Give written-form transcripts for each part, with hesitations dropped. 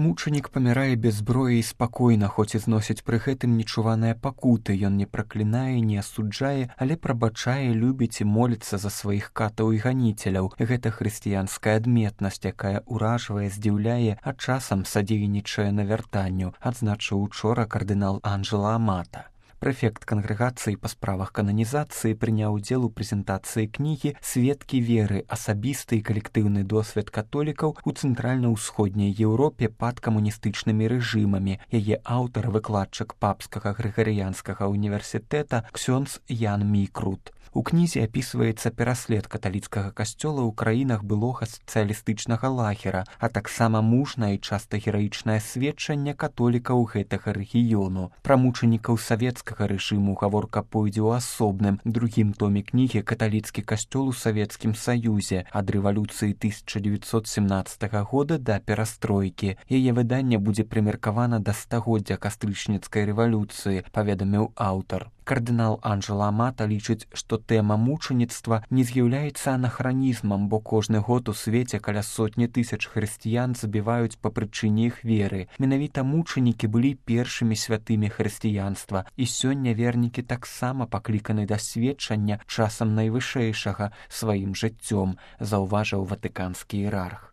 Мучанік памірае без зброі і спакойна, хоць і зносіць пры гэтым нечуваныя пакуты. Ён не праклінае, не асуджае, але прабачае, любіць і моліцца за сваіх катаў і ганіцеляў. Гэта хрысціянская адметнасць, якая ўражвае, здзіўляе, а часам садзейнічае навяртанню, адзначыў учора кардынал Анджела Амата. Прэфект кангрэгацыі па справах кананізацыі прыняў удзел у прэзентацыі кнігі «Сведкі веры. Асабісты і калектыўны досвед католікаў у цэнтральна-ўсходняй Еўропе пад камуністычнымі рэжымамі». Яе аўтар, выкладчык папскага грыгарыянскага універсітэта ксёндз Ян Мікрут. У кнізе апісваецца пераслед каталіцкага касцёла ў краінах былога сацыялістычнага лагера, а таксама мужнае і часта гераічнае сведчанне католікаў гэтага рэгіёну. Пра мучанікаў савецкага рэжыму гаворка пойдзе ў асобным, другім томе кнігі «Каталіцкі касцёл у Савецкім Саюзе» ад рэвалюцыі 1917 года да перастройкі. Яе выданне будзе прымеркавана да стагоддзя кастрычніцкай рэвалюцыі, паведаміў аўтар. Кардынал Анджела Амата лічыць, што тэма мучаніцтва не з'яўляецца анахранізмам, бо кожны год у свеце каля 100 000 хрысціян забіваюць па прычыне іх веры. Менавіта мучанікі былі першымі святымі хрысціянства, і сёння вернікі таксама пакліканы да сведчання часам найвышэйшага сваім жыццём, заўважыў ватыканскі іерарх.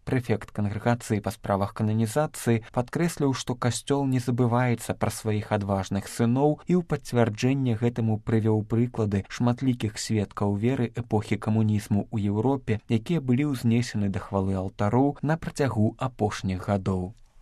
Прэфект кангрэгацыі па справах кананізацыі падкрэсліў, што касцёл не забываецца пра сваіх адважных сыноў і ў пацвярджэнне гэтаму прывёў прыклады шматлікіх сведкаў веры эпохі камунізму ў Еўропе, якія былі ўзнесены да хвалы алтароў на працягу апошніх гадоў.